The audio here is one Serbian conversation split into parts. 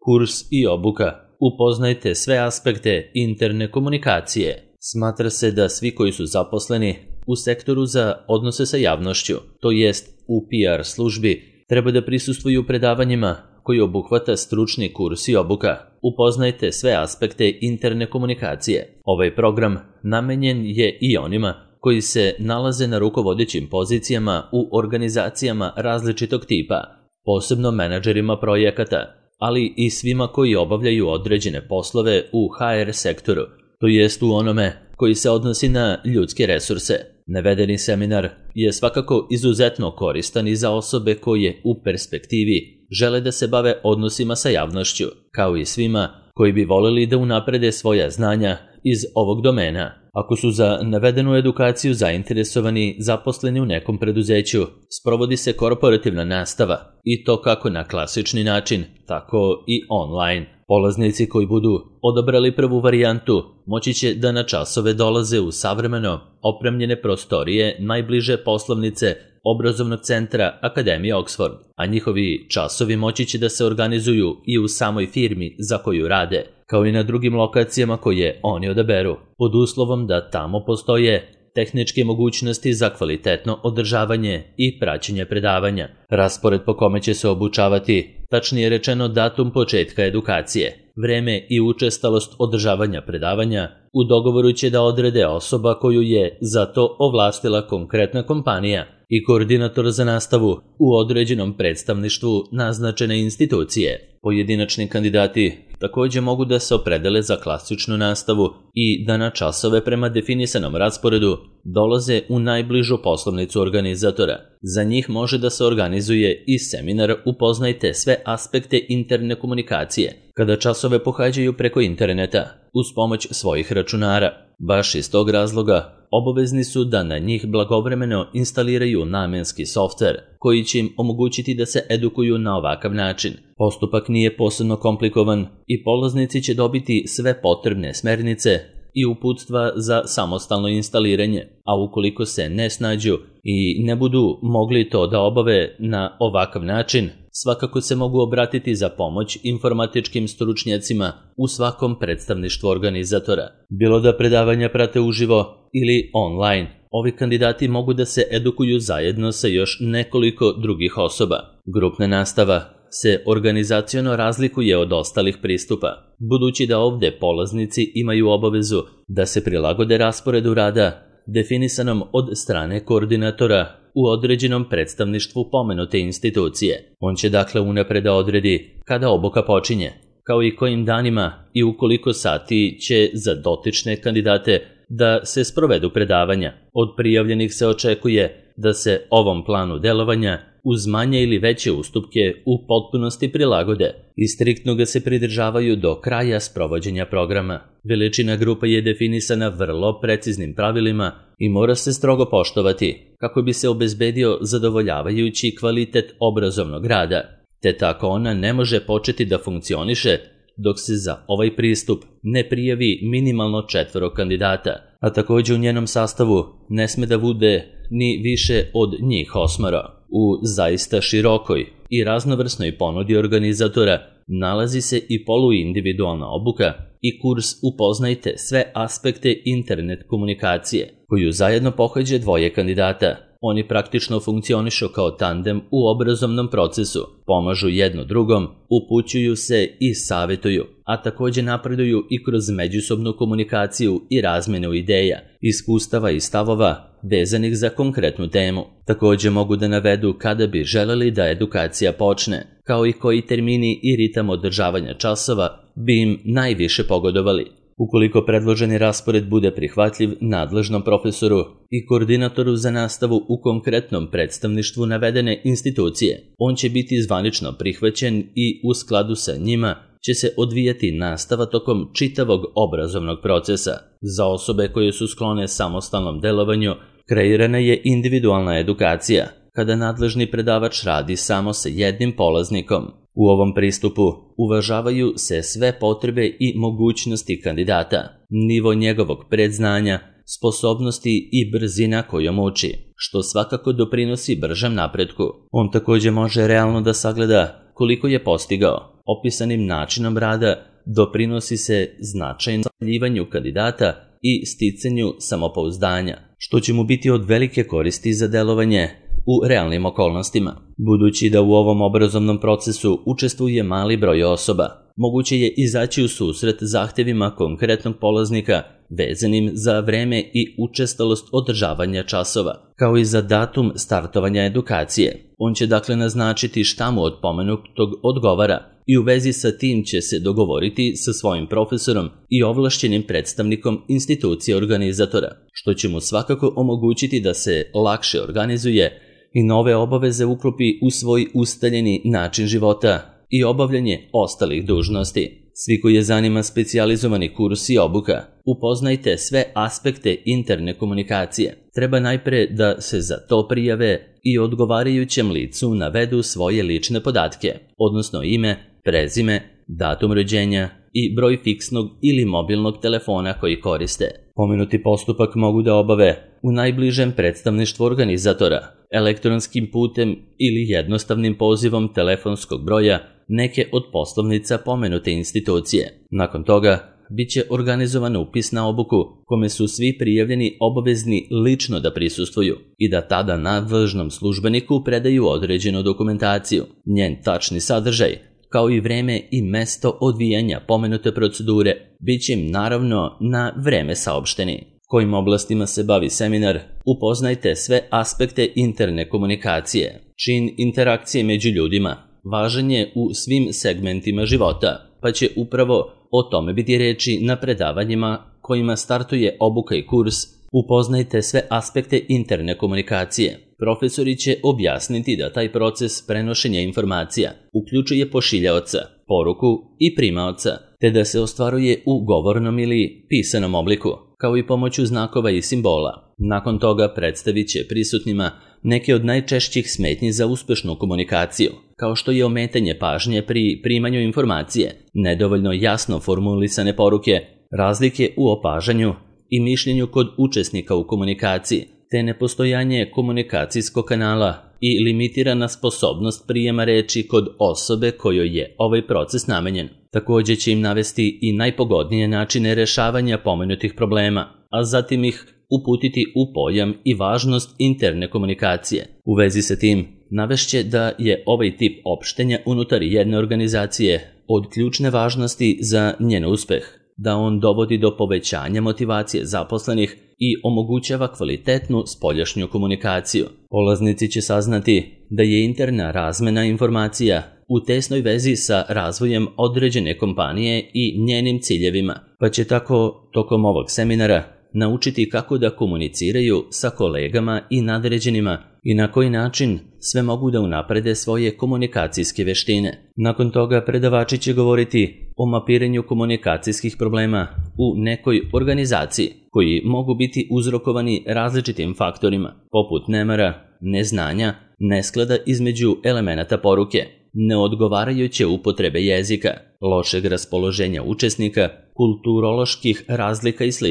Kurs i obuka. Upoznajte sve aspekte interne komunikacije. Smatra se da svi koji su zaposleni u sektoru za odnose sa javnošću, to jest u PR službi, treba da prisustvuju predavanjima koji obuhvata stručni kurs i obuka. Upoznajte sve aspekte interne komunikacije. Ovaj program namenjen je i onima koji se nalaze na rukovodećim pozicijama u organizacijama različitog tipa, posebno menadžerima projekata, ali i svima koji obavljaju određene poslove u HR sektoru, to jest u onome koji se odnosi na ljudske resurse. Navedeni seminar je svakako izuzetno koristan i za osobe koje u perspektivi žele da se bave odnosima sa javnošću, kao i svima koji bi voleli da unaprede svoja znanja iz ovog domena. Ako su za navedenu edukaciju zainteresovani zaposleni u nekom preduzeću, sprovodi se korporativna nastava i to kako na klasični način, tako i online. Polaznici koji budu odabrali prvu varijantu moći će da na časove dolaze u savremeno opremljene prostorije najbliže poslovnice obrazovnog centra Akademije Oxford, a njihovi časovi moći će da se organizuju i u samoj firmi za koju rade, kao i na drugim lokacijama koje oni odaberu, pod uslovom da tamo postoje tehničke mogućnosti za kvalitetno održavanje i praćenje predavanja. Raspored po kome će se obučavati, tačnije rečeno datum početka edukacije, vreme i učestalost održavanja predavanja, u dogovoru će da odrede osoba koju je za to ovlastila konkretna kompanija i koordinator za nastavu u određenom predstavništvu naznačene institucije. Pojedinačni kandidati također mogu da se opredele za klasičnu nastavu i da na časove prema definisanom rasporedu dolaze u najbližu poslovnicu organizatora. Za njih može da se organizuje i seminar Upoznajte sve aspekte interne komunikacije, kada časove pohađaju preko interneta uz pomoć svojih računara. Baš iz tog razloga obavezni su da na njih blagovremeno instaliraju namenski softver koji će im omogućiti da se edukuju na ovakav način. Postupak nije posebno komplikovan i polaznici će dobiti sve potrebne smernice i uputstva za samostalno instaliranje, a ukoliko se ne snađu i ne budu mogli to da obave na ovakav način, svakako se mogu obratiti za pomoć informatičkim stručnjacima u svakom predstavništvu organizatora. Bilo da predavanja prate uživo ili online, ovi kandidati mogu da se edukuju zajedno sa još nekoliko drugih osoba. Grupna nastava se organizaciono razlikuje od ostalih pristupa, budući da ovde polaznici imaju obavezu da se prilagode rasporedu rada definisanom od strane koordinatora u određenom predstavništvu pomenute institucije. On će dakle unapred da odredi kada obuka počinje, kao i kojim danima i u koliko sati će za dotične kandidate da se sprovedu predavanja. Od prijavljenih se očekuje da se ovom planu delovanja uz manje ili veće ustupke u potpunosti prilagode i striktno ga se pridržavaju do kraja sprovođenja programa. Veličina grupa je definisana vrlo preciznim pravilima i mora se strogo poštovati kako bi se obezbedio zadovoljavajući kvalitet obrazovnog rada, te tako ona ne može početi da funkcioniše dok se za ovaj pristup ne prijavi minimalno 4 kandidata, a također u njenom sastavu ne sme da bude ni više od njih 8. U zaista širokoj i raznovrsnoj ponudi organizatora nalazi se i poluindividualna obuka i kurs Upoznajte sve aspekte internet komunikacije, koju zajedno pohađa 2 kandidata. Oni praktično funkcionišu kao tandem u obrazovnom procesu, pomažu jedno drugom, upućuju se i savjetuju, a također napreduju i kroz međusobnu komunikaciju i razmjenu ideja, iskustava i stavova vezanih za konkretnu temu. Također mogu da navedu kada bi želeli da edukacija počne, kao i koji termini i ritam održavanja časova bi im najviše pogodovali. Ukoliko predloženi raspored bude prihvatljiv nadležnom profesoru i koordinatoru za nastavu u konkretnom predstavništvu navedene institucije, on će biti zvanično prihvaćen i u skladu sa njima će se odvijati nastava tokom čitavog obrazovnog procesa. Za osobe koje su sklone samostalnom delovanju, kreirana je individualna edukacija, kada nadležni predavač radi samo sa jednim polaznikom. U ovom pristupu uvažavaju se sve potrebe i mogućnosti kandidata, nivo njegovog predznanja, sposobnosti i brzina kojom uči, što svakako doprinosi bržem napretku. On također može realno da sagleda koliko je postigao. Opisanim načinom rada doprinosi se značajnom ostvarivanju kandidata i sticanju samopouzdanja, što će mu biti od velike koristi za delovanje u realnim okolnostima. Budući da u ovom obrazovnom procesu učestvuje mali broj osoba, moguće je izaći u susret zahtevima konkretnog polaznika vezanim za vreme i učestalost održavanja časova, kao i za datum startovanja edukacije. On će dakle naznačiti šta mu od pomenutog odgovara i u vezi sa tim će se dogovoriti sa svojim profesorom i ovlašćenim predstavnikom institucije organizatora, što će mu svakako omogućiti da se lakše organizuje i nove obaveze uklopi u svoj ustaljeni način života i obavljanje ostalih dužnosti. Svi koji je zanima specijalizovani kurs i obuka, upoznajte sve aspekte interne komunikacije. Treba najpre da se za to prijave i odgovarajućem licu navedu svoje lične podatke, odnosno ime, prezime, datum rođenja i broj fiksnog ili mobilnog telefona koji koriste. Pomenuti postupak mogu da obave u najbližem predstavništvu organizatora, elektronskim putem ili jednostavnim pozivom telefonskog broja neke od poslovnica pomenute institucije. Nakon toga bit će organizovan upis na obuku kome su svi prijavljeni obavezni lično da prisustvuju i da tada nadležnom službeniku predaju određenu dokumentaciju. Njen tačni sadržaj, kao i vreme i mesto odvijanja pomenute procedure, bit će im naravno na vreme saopšteni. Kojim oblastima se bavi seminar, upoznajte sve aspekte interne komunikacije. Čin interakcije među ljudima važan je u svim segmentima života, pa će upravo o tome biti reči na predavanjima kojima startuje obuka i kurs. Upoznajte sve aspekte interne komunikacije. Profesori će objasniti da taj proces prenošenja informacija uključuje pošiljaoca, poruku i primaoca, te da se ostvaruje u govornom ili pisanom obliku, kao i pomoću znakova i simbola. Nakon toga predstavit će prisutnima neke od najčešćih smetnji za uspešnu komunikaciju, kao što je ometanje pažnje pri primanju informacije, nedovoljno jasno formulisane poruke, razlike u opažanju i mišljenju kod učesnika u komunikaciji, te nepostojanje komunikacijskog kanala i limitirana sposobnost prijema reči kod osobe kojoj je ovaj proces namenjen. Također će im navesti i najpogodnije načine rešavanja pomenutih problema, a zatim ih uputiti u pojam i važnost interne komunikacije. U vezi sa tim, navešće da je ovaj tip opštenja unutar jedne organizacije od ključne važnosti za njen uspeh, da on dovodi do povećanja motivacije zaposlenih i omogućava kvalitetnu spoljašnju komunikaciju. Polaznici će saznati da je interna razmena informacija u tesnoj vezi sa razvojem određene kompanije i njenim ciljevima, pa će tako tokom ovog seminara naučiti kako da komuniciraju sa kolegama i nadređenima i na koji način sve mogu da unaprede svoje komunikacijske veštine. Nakon toga predavači će govoriti o mapiranju komunikacijskih problema u nekoj organizaciji koji mogu biti uzrokovani različitim faktorima, poput nemara, neznanja, nesklada između elemenata poruke, neodgovarajuće upotrebe jezika, lošeg raspoloženja učesnika, kulturoloških razlika i sl.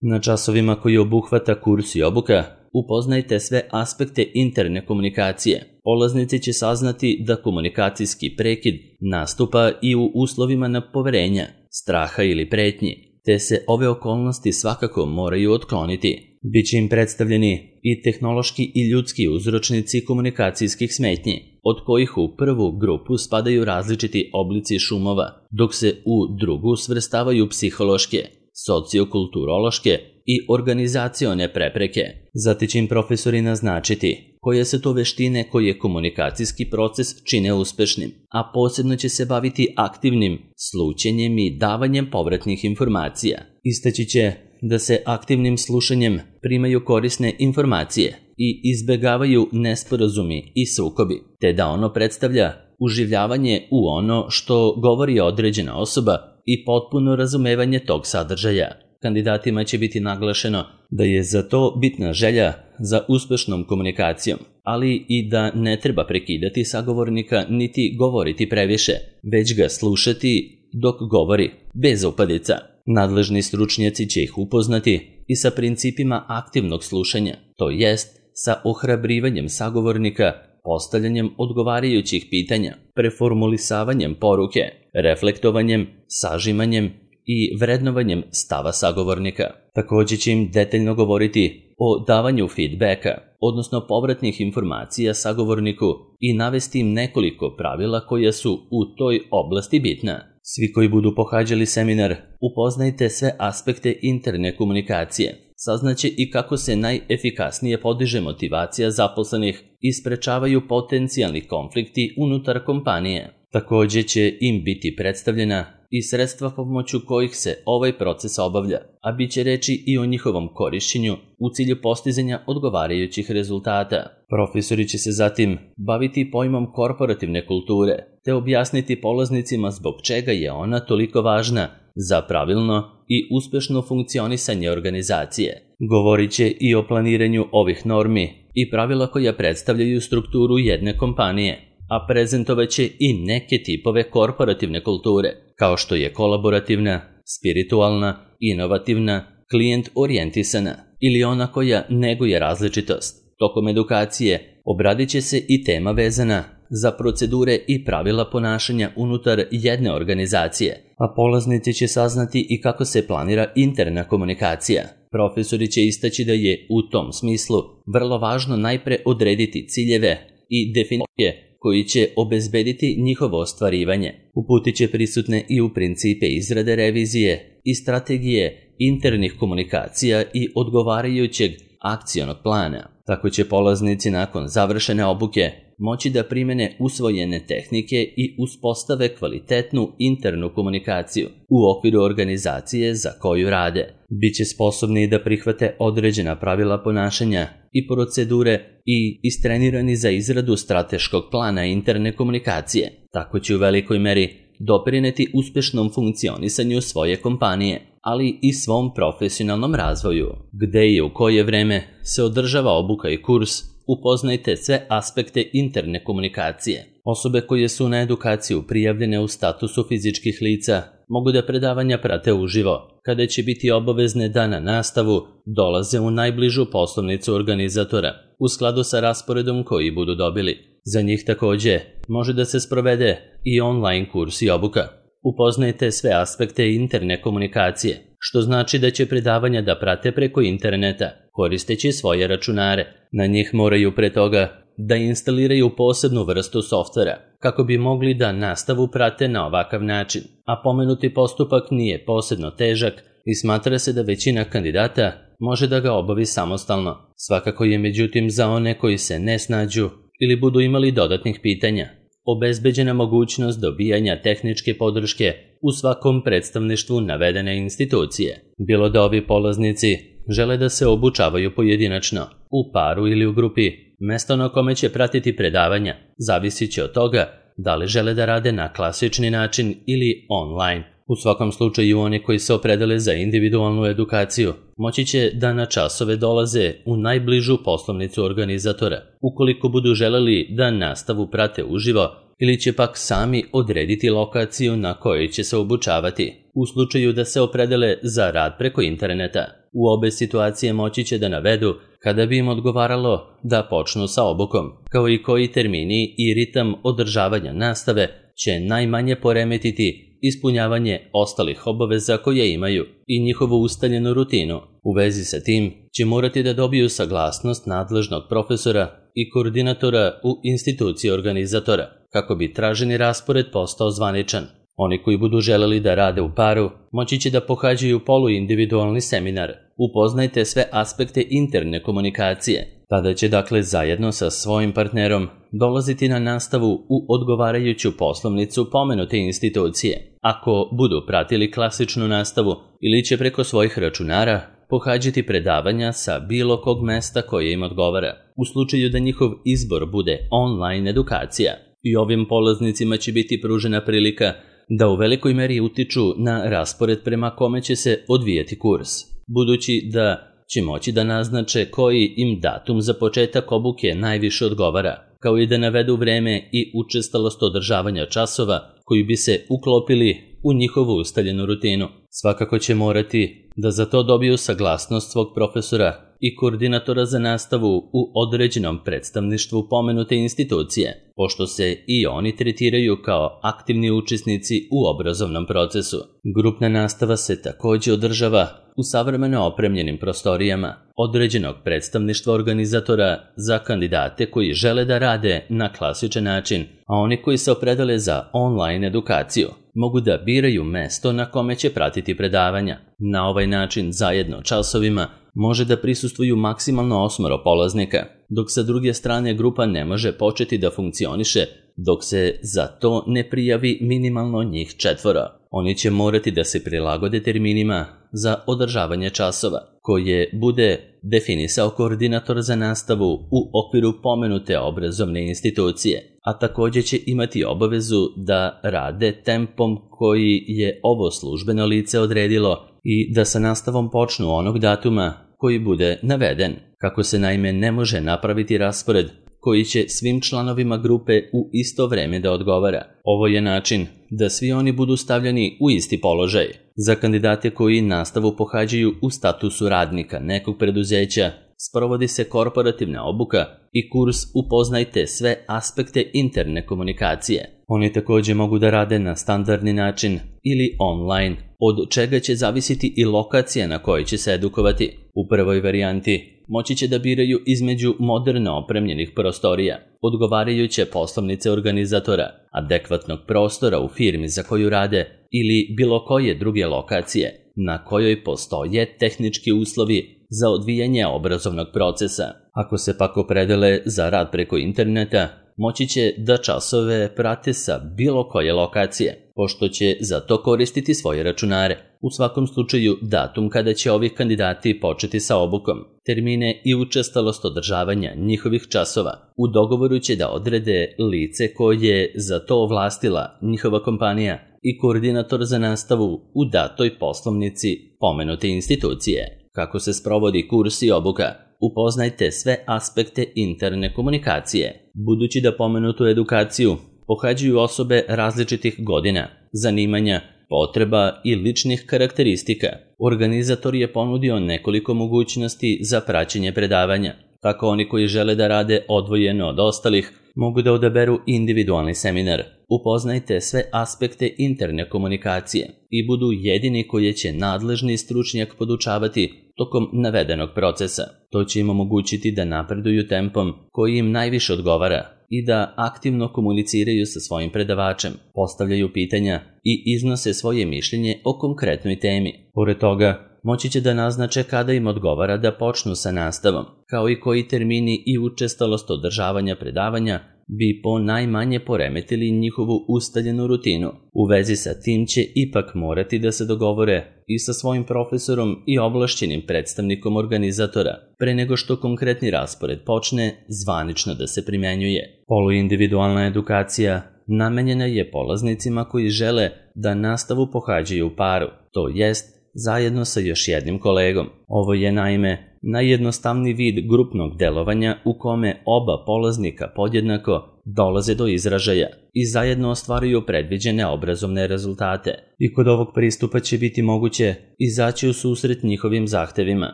Na časovima koji obuhvata kurs i obuka, upoznajte sve aspekte interne komunikacije. Polaznici će saznati da komunikacijski prekid nastupa i u uslovima nepoverenja, straha ili pretnji, te se ove okolnosti svakako moraju otkloniti. Biće im predstavljeni i tehnološki i ljudski uzročnici komunikacijskih smetnji, od kojih u prvu grupu spadaju različiti oblici šumova, dok se u drugu svrstavaju psihološke, sociokulturološke i organizacione prepreke. Zatim će im profesori naznačiti koje su to veštine koje komunikacijski proces čine uspešnim, a posebno će se baviti aktivnim slućenjem i davanjem povratnih informacija. Istaći će da se aktivnim slušanjem primaju korisne informacije i izbegavaju nesporazumi i sukobi, te da ono predstavlja uživljavanje u ono što govori određena osoba i potpuno razumevanje tog sadržaja. Kandidatima će biti naglašeno da je za to bitna želja za uspešnom komunikacijom, ali i da ne treba prekidati sagovornika niti govoriti previše, već ga slušati dok govori, bez upadica. Nadležni stručnjaci će ih upoznati i sa principima aktivnog slušanja, to jest sa ohrabrivanjem sagovornika, postavljanjem odgovarajućih pitanja, preformulisavanjem poruke, reflektovanjem, sažimanjem i vrednovanjem stava sagovornika. Također će im detaljno govoriti o davanju feedbacka, odnosno povratnih informacija sagovorniku i navesti im nekoliko pravila koja su u toj oblasti bitna. Svi koji budu pohađali seminar, upoznajte sve aspekte interne komunikacije. Saznaće i kako se najefikasnije podiže motivacija zaposlenih i sprečavaju potencijalni konflikti unutar kompanije. Također će im biti predstavljena i sredstva pomoću kojih se ovaj proces obavlja, a bit će reći i o njihovom korišćenju u cilju postizanja odgovarajućih rezultata. Profesori će se zatim baviti pojmom korporativne kulture, te objasniti polaznicima zbog čega je ona toliko važna za pravilno i uspešno funkcionisanje organizacije. Govorit će i o planiranju ovih normi i pravila koja predstavljaju strukturu jedne kompanije, a prezentovat će i neke tipove korporativne kulture, kao što je kolaborativna, spiritualna, inovativna, klijent orijentisana ili ona koja neguje različitost. Tokom edukacije obradit će se i tema vezana za procedure i pravila ponašanja unutar jedne organizacije, a polaznici će saznati i kako se planira interna komunikacija. Profesori će istaći da je u tom smislu vrlo važno najpre odrediti ciljeve i definicije koji će obezbediti njihovo ostvarivanje. Uputit će prisutne i u principe izrade revizije i strategije internih komunikacija i odgovarajućeg akcionog plana. Tako će polaznici nakon završene obuke moći da primene usvojene tehnike i uspostave kvalitetnu internu komunikaciju u okviru organizacije za koju rade. Biće sposobni da prihvate određena pravila ponašanja i procedure i istrenirani za izradu strateškog plana interne komunikacije. Tako će u velikoj meri doprineti uspešnom funkcionisanju svoje kompanije, ali i svom profesionalnom razvoju. Gde i u koje vreme se održava obuka i kurs, upoznajte sve aspekte interne komunikacije. Osobe koje su na edukaciju prijavljene u statusu fizičkih lica mogu da predavanja prate uživo, kada će biti obavezne da na nastavu dolaze u najbližu poslovnicu organizatora, u skladu sa rasporedom koji budu dobili. Za njih također može da se sprovede i online kurs i obuka. Upoznajte sve aspekte interne komunikacije, što znači da će predavanja da prate preko interneta, koristeći svoje računare. Na njih moraju pre toga da instaliraju posebnu vrstu softvera, kako bi mogli da nastavu prate na ovakav način, a pomenuti postupak nije posebno težak i smatra se da većina kandidata može da ga obavi samostalno. Svakako je međutim za one koji se ne snađu ili budu imali dodatnih pitanja obezbeđena mogućnost dobijanja tehničke podrške u svakom predstavništvu navedene institucije. Bilo da ovi polaznici žele da se obučavaju pojedinačno, u paru ili u grupi, mesto na kome će pratiti predavanja zavisit će od toga da li žele da rade na klasični način ili online. U svakom slučaju oni koji se opredele za individualnu edukaciju moći će da na časove dolaze u najbližu poslovnicu organizatora, ukoliko budu želeli da nastavu prate uživo ili će pak sami odrediti lokaciju na kojoj će se obučavati, u slučaju da se opredele za rad preko interneta. U obe situacije moći će da navedu kada bi im odgovaralo da počnu sa obukom, kao i koji termini i ritam održavanja nastave će najmanje poremetiti ispunjavanje ostalih obaveza koje imaju i njihovu ustaljenu rutinu. U vezi sa tim će morati da dobiju saglasnost nadležnog profesora i koordinatora u instituciji organizatora, kako bi traženi raspored postao zvaničan. Oni koji budu želeli da rade u paru moći će da pohađaju poluindividualni seminar. Upoznajte sve aspekte interne komunikacije. Tada će dakle zajedno sa svojim partnerom dolaziti na nastavu u odgovarajuću poslovnicu pomenute institucije. Ako budu pratili klasičnu nastavu ili će preko svojih računara pohađati predavanja sa bilo kog mesta koje im odgovara, u slučaju da njihov izbor bude online edukacija. I ovim polaznicima će biti pružena prilika da u velikoj meri utiču na raspored prema kome će se odvijati kurs, budući da će moći da naznače koji im datum za početak obuke najviše odgovara, kao i da navedu vreme i učestalost održavanja časova koji bi se uklopili u njihovu ustaljenu rutinu. Svakako će morati da za to dobiju saglasnost svog profesora i koordinatora za nastavu u određenom predstavništvu pomenute institucije, pošto se i oni tretiraju kao aktivni učesnici u obrazovnom procesu. Grupna nastava se takođe održava u savremeno opremljenim prostorijama određenog predstavništva organizatora za kandidate koji žele da rade na klasičan način, a oni koji se opredele za online edukaciju mogu da biraju mesto na kome će pratiti predavanja. Na ovaj način zajedno časovima može da prisustvuju maksimalno 8 polaznika, dok sa druge strane grupa ne može početi da funkcioniše dok se za to ne prijavi minimalno njih 4. Oni će morati da se prilagode terminima za održavanje časova, koje bude definisao koordinator za nastavu u okviru pomenute obrazovne institucije, a takođe će imati obavezu da rade tempom koji je ovo službeno lice odredilo i da sa nastavom počnu onog datuma koji bude naveden, kako se naime ne može napraviti raspored koji će svim članovima grupe u isto vreme da odgovara. Ovo je način da svi oni budu stavljeni u isti položaj. Za kandidate koji nastavu pohađaju u statusu radnika nekog preduzeća, sprovodi se korporativna obuka i kurs Upoznajte sve aspekte interne komunikacije. Oni takođe mogu da rade na standardni način ili online, od čega će zavisiti i lokacija na kojoj će se edukovati. U prvoj varijanti moći će da biraju između moderno opremljenih prostorija, odgovarajuće poslovnice organizatora, adekvatnog prostora u firmi za koju rade ili bilo koje druge lokacije na kojoj postoje tehnički uslovi za odvijanje obrazovnog procesa. Ako se pak opredele za rad preko interneta, moći će da časove prate sa bilo koje lokacije, pošto će za to koristiti svoje računare. U svakom slučaju, datum kada će ovih kandidati početi sa obukom, termine i učestalost održavanja njihovih časova, u dogovoru će da odrede lice koje je za to ovlastila njihova kompanija i koordinator za nastavu u datoj poslovnici pomenute institucije. Kako se sprovodi kurs i obuka? Upoznajte sve aspekte interne komunikacije. Budući da pomenutu edukaciju pohađaju osobe različitih godina, zanimanja, potreba i ličnih karakteristika, organizator je ponudio nekoliko mogućnosti za praćenje predavanja. Tako oni koji žele da rade odvojeno od ostalih mogu da odaberu individualni seminar. Upoznajte sve aspekte interne komunikacije i budu jedini koji će nadležni stručnjak podučavati tokom navedenog procesa. To će im omogućiti da napreduju tempom koji im najviše odgovara i da aktivno komuniciraju sa svojim predavačem, postavljaju pitanja i iznose svoje mišljenje o konkretnoj temi. Pored toga, moći će da naznače kada im odgovara da počnu sa nastavom, kao i koji termini i učestalost održavanja predavanja bi po najmanje poremetili njihovu ustaljenu rutinu. U vezi sa tim će ipak morati da se dogovore i sa svojim profesorom i ovlašćenim predstavnikom organizatora, pre nego što konkretni raspored počne zvanično da se primenjuje. Poluindividualna edukacija namenjena je polaznicima koji žele da nastavu pohađaju u paru, to jest zajedno sa još jednim kolegom. Ovo je naime najjednostavniji vid grupnog delovanja u kome oba polaznika podjednako dolaze do izražaja i zajedno ostvaruju predviđene obrazovne rezultate. I kod ovog pristupa će biti moguće izaći u susret njihovim zahtevima,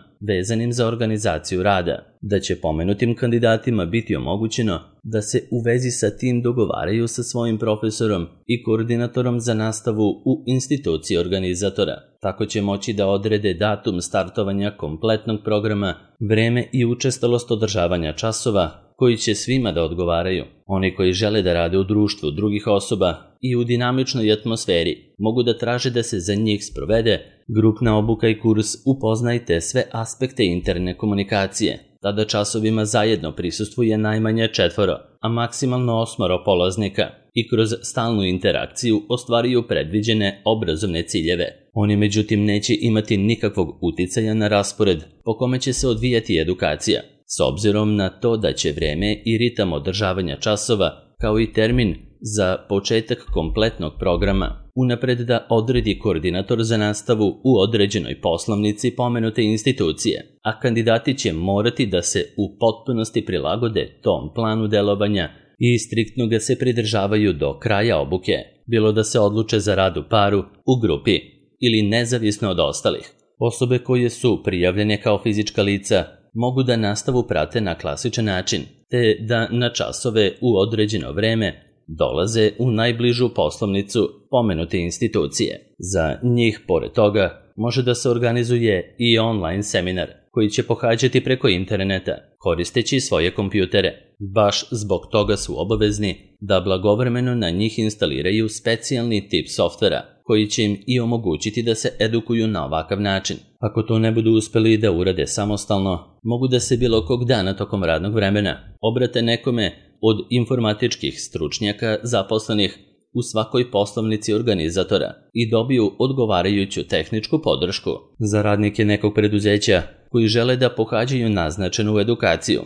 vezanim za organizaciju rada, da će pomenutim kandidatima biti omogućeno da se u vezi sa tim dogovaraju sa svojim profesorom i koordinatorom za nastavu u instituciji organizatora. Tako će moći da odrede datum startovanja kompletnog programa, vreme i učestalost održavanja časova koji će svima da odgovaraju. Oni koji žele da rade u društvu drugih osoba i u dinamičnoj atmosferi mogu da traže da se za njih sprovede grupna obuka i kurs Upoznajte sve aspekte interne komunikacije. Tada časovima zajedno prisustvuje najmanje 4, a maksimalno 8 polaznika i kroz stalnu interakciju ostvaruju predviđene obrazovne ciljeve. Oni međutim neće imati nikakvog uticaja na raspored po kome će se odvijati edukacija, s obzirom na to da će vreme i ritam održavanja časova, kao i termin za početak kompletnog programa, unapred da odredi koordinator za nastavu u određenoj poslovnici pomenute institucije, a kandidati će morati da se u potpunosti prilagode tom planu delovanja i striktno ga se pridržavaju do kraja obuke, bilo da se odluče za rad u paru, u grupi ili nezavisno od ostalih. Osobe koje su prijavljene kao fizička lica mogu da nastavu prate na klasičan način, te da na časove u određeno vreme dolaze u najbližu poslovnicu pomenute institucije. Za njih, pored toga, može da se organizuje i online seminar koji će pohađati preko interneta koristeći svoje kompjutere. Baš zbog toga su obavezni da blagovremeno na njih instaliraju specijalni tip softvera koji će im i omogućiti da se edukuju na ovakav način. Ako to ne budu uspeli da urade samostalno, mogu da se bilo kog dana tokom radnog vremena obrate nekome od informatičkih stručnjaka zaposlenih u svakoj poslovnici organizatora i dobiju odgovarajuću tehničku podršku. Za radnike nekog preduzeća koji žele da pohađaju naznačenu edukaciju,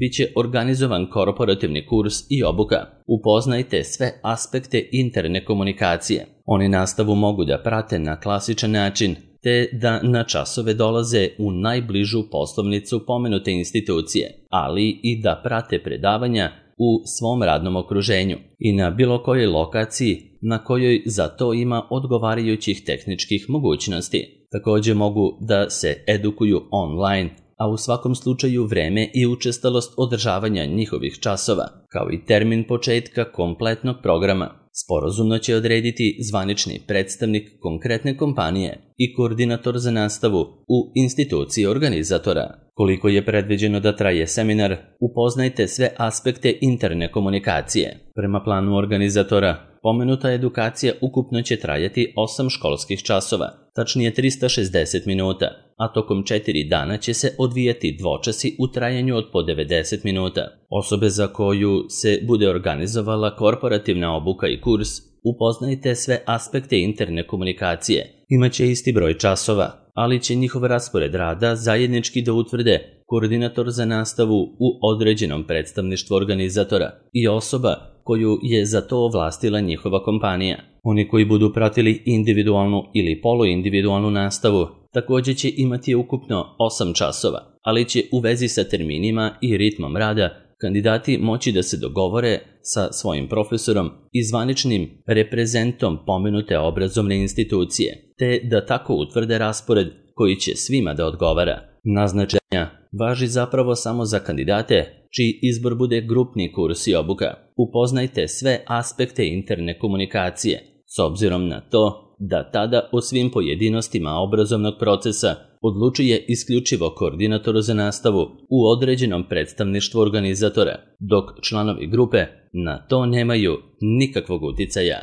biće organizovan korporativni kurs i obuka. Upoznajte sve aspekte interne komunikacije. Oni nastavu mogu da prate na klasičan način, te da na časove dolaze u najbližu poslovnicu pomenute institucije, ali i da prate predavanja u svom radnom okruženju i na bilo kojoj lokaciji na kojoj za to ima odgovarajućih tehničkih mogućnosti. Također mogu da se edukuju online, a u svakom slučaju vreme i učestalost održavanja njihovih časova, kao i termin početka kompletnog programa, sporazumno će odrediti zvanični predstavnik konkretne kompanije i koordinator za nastavu u instituciji organizatora. Koliko je predviđeno da traje seminar, upoznajte sve aspekte interne komunikacije. Prema planu organizatora, pomenuta edukacija ukupno će trajati 8 školskih časova, tačnije 360 minuta, a tokom 4 dana će se odvijati dvočasi u trajanju od po 90 minuta. Osobe za koju se bude organizovala korporativna obuka i kurs, upoznajte sve aspekte interne komunikacije. Imaće isti broj časova, ali će njihov raspored rada zajednički da utvrde koordinator za nastavu u određenom predstavništvu organizatora i osoba koju je za to ovlastila njihova kompanija. Oni koji budu pratili individualnu ili poluindividualnu nastavu također će imati ukupno 8 časova, ali će u vezi sa terminima i ritmom rada kandidati moći da se dogovore sa svojim profesorom i zvaničnim reprezentom pomenute obrazovne institucije, te da tako utvrde raspored koji će svima da odgovara. Naznačenja važi zapravo samo za kandidate čiji izbor bude grupni kurs i obuka. Upoznajte sve aspekte interne komunikacije, s obzirom na to da tada o svim pojedinostima obrazovnog procesa odlučuje isključivo koordinator za nastavu u određenom predstavništvu organizatora, dok članovi grupe na to nemaju nikakvog uticaja.